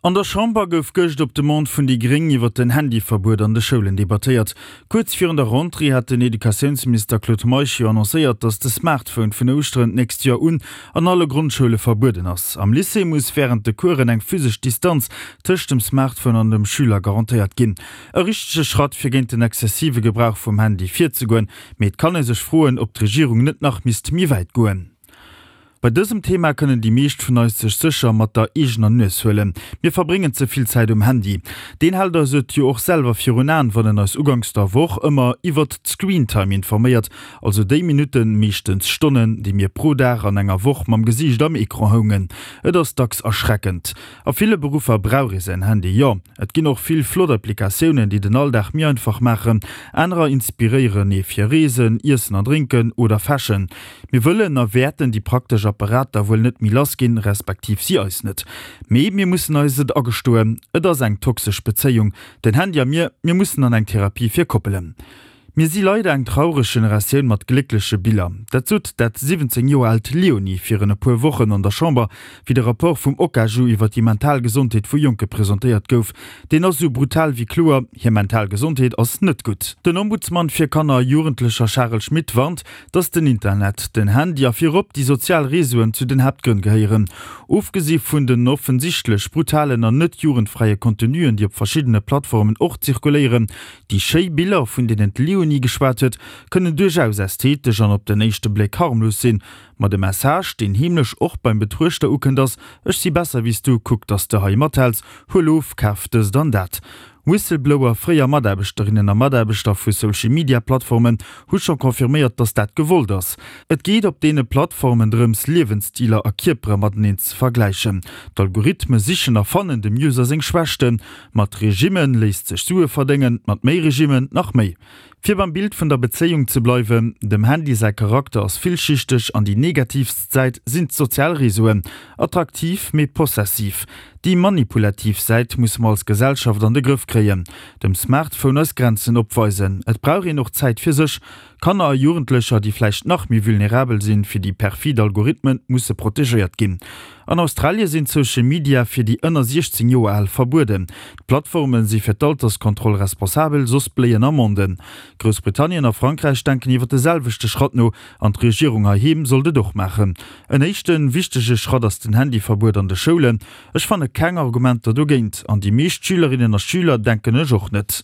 An der Chamber gouf gëscht op Demande vun déi Gréng iwwer den Handyverbuet an de Schoulen debattéiert. Kuerz virun der Rentrée hat den Educatiounsminister Claude Meisch jo annoncéiert, datt de Smartphone vun Ouschteren d'nächst Joer un an alle Grondschoule verbueden ass. Am Lycée muss wärend de Coursen eng physesch Distanz tëscht dem Smartphone an dem Schüler garantéiert ginn. E richtege Schratt fir géint den exzessive Gebrauch vum Handy virzegoen, mee et kann ee sech froen, ob d'Regierung net nach misst méi wäit goen. Bei dësem Thema kënnen déi meescht vun eis sech sécher mat der eegener Nues huelen. Mir verbréngen ze vill Zäit um Handy. Deen hält eis et jo och selwer virun Aen, wann en eis uganks der Woch ëmmer iwwert d'Screentime informéiert, also déi Minutten, meeschtens Stonnen, déi mir pro Dag an enger Woch mam Gesiicht am Ecran houngen. Et ass dacks erschreckend. A ville Beruffer brauch ee säin Handy, jo. Et ginn och vill flott Applikatiounen, déi den Alldag méi einfach maachen. Anerer inspiréieren ee fir Reesen, Iessen an Drénken oder Fashion. Mir wëllen a wäerten déi praktesch Apparater wuel net méi lass ginn, respektiv si eis net. Mee mir mussen eis et agestoen, et ass eng toxesch Bezéiung, den Handy a mir, mir mussen an eng Therapie fir Koppelen. Mir si leider eng traureg Generatioun mat gléckleche Biller. Dat sot dat 17 Joer aalt Léonie virun e puer Wochen an der Chamber, wéi de Rapport vum Okaju iwwer déi mental Gesondheet vu Jonke presentéiert gouf. Deen ass esou brutal wéi kloer, hir mental Gesondheet ass net gutt. Den Ombudsman fir Kanner a Jugendlecher Charel Schmit warnt, dass den Internet, den Handy a virop déi sozial Reseauen zu den Haaptgrënn gehéieren. Ofgesi vun den offensichtlech brutalen an net jugendfräie Contenuen, déi op verschiddene Plattformen och zirkuléieren. Déi schéi Biller, vun deenen d'Leonie geschwat huet, kënnen duerchaus ästhetesch an op den éischte Bléck harmlos sinn. Ma de Message, deen heemlech och beim Betruechter ukënnt, ass, Ech si besser wéi s du, kuck, dass de hei mathäls, huel of, kaf dëst an dat. Whistleblower, fréier Mataarbechterinnen a Mataarbechter vu Social-Media-Plattformen, hu scho confirméiert, datt dat gewollt ass. Et geet op deene Plattformen drëms, Liewensstiler a Kierpere mateneen ze vergläichen. D'Algorithme sichen a fannen dem User seng Schwächten. Mat Regimme léisst sech Sue verdéngen, mat méi Regimmen nach méi. Fir beim Bild vun der Bezéiung ze bleiwen, dem Handy säi Charakter ass villschichteg an déi negatiivst Säit sinn d'sozial Reseauen. Attraktiv, mee possessiv. Déi manipulativ Säit musse mer als Gesellschaft an de Grëff kréien. Dem Smartphone eis Grenzen opweisen. Et brauch een och Zäit fir sech. Kanner a Jugendlecher, déi vläicht nach méi vulnerabel sinn fir déi perfid Algorithmen, musse protegéiert ginn. An Australie sinn d'Social Media fir déi ënner 16 Joer al verbueden. D'Plattforme si fir d'Alterskontroll responsabel, soss bléien Amenden. Groussbritannien a Frankräich denken iwwer de selwechte Schratt no an d'Regierung heiheem sollt et och maachen. En éischte wichtege Schratt ass den Handyverbuet an de Schoulen. Ech fanne keng Argumenter dogéint an déi meescht Schülerinnen a Schüler denken ech och net.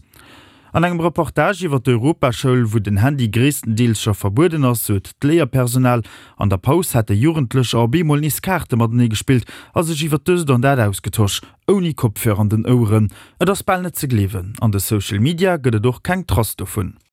An engem Reportage iwwer d'Europaschoul, wou den Handy gréisstendeels scho verbueden ass, sot d'Léierpersonal, an der Paus hätte Jugendlecher op eemol nees Kaarte matenee gespillt a sech iwwer dëst an dat ausgetosch, ouni Kopfhörer an den Oueren. Et ass bal net ze gleewen. An de Social Media gëtt et och keng Trace dovun.